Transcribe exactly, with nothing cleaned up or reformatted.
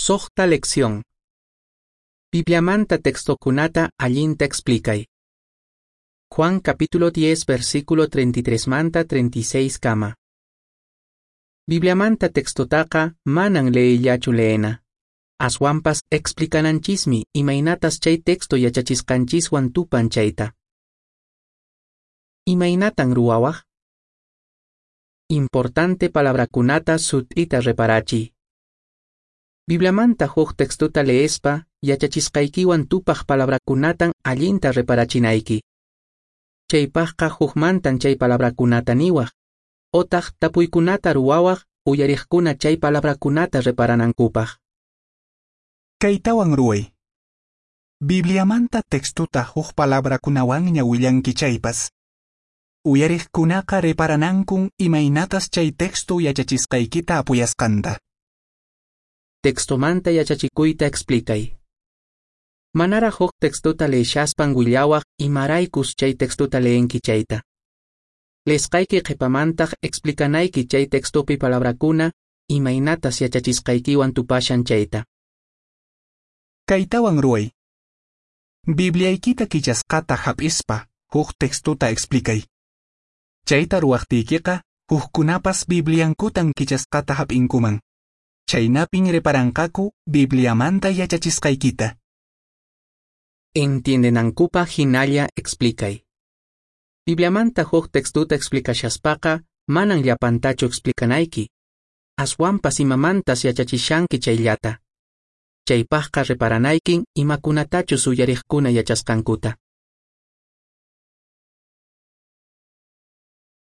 Suqta lección. Bibliamanta textokunata allinta explicay. Juan capítulo diez versículo treinta y tres manta treinta y seis kama. Bibliamanta textotaqa manan leeyllachu leena. Aswanpas explicananchismi imaynatas chay texto yachachisqanchiswan tupan chayta. Imaynatan ruwawaq? Importante palabrakunata sut'ita reparachiy. Bibliamanta huk textota leespa yachachisqaykiwan tupaq palabrakunatan allinta reparachinayki. Chaypaqqa hukmantan chay palabrakunata niwaq, otaq tapuykunata ruwawaq uyariqkuna chay palabrakunata reparanankupaq. Kaytawan ruway. Bibliamanta textota huk palabrakunawanña willanki chaypas. Uyariqkunaqa reparanankun imaynatas chay texto yachachisqaykita apuyasqanta. Textomanta yachachikuyta explicay. Manara huk textota leeshaspan willawaq imaraykus chay textota leenki chayta. Leesqayki qhipamantaq explicanayki chay textopi palabrakuna imaynatas yachachisqaykiwan tupashan chayta. Kaytawan ruway. Bibliaykita kichasqata hap'ispa huk textota explicay. Chayta ruwaqtiykiqa hukkunapas Bibliankutan kichasqata hap'inkuman. Chaynapin reparanqaku Bibliamanta yachachisqaykita. Entiendenankupaq hinalla explicay. Bibliamanta huk textuta explicashaspaqa manan llapantachu explicanayki. Aswanpas imamantas yachachishanki chayllata. Chaypaqqa reparanaykin imakunatachus uyariqkuna yachasqankuta.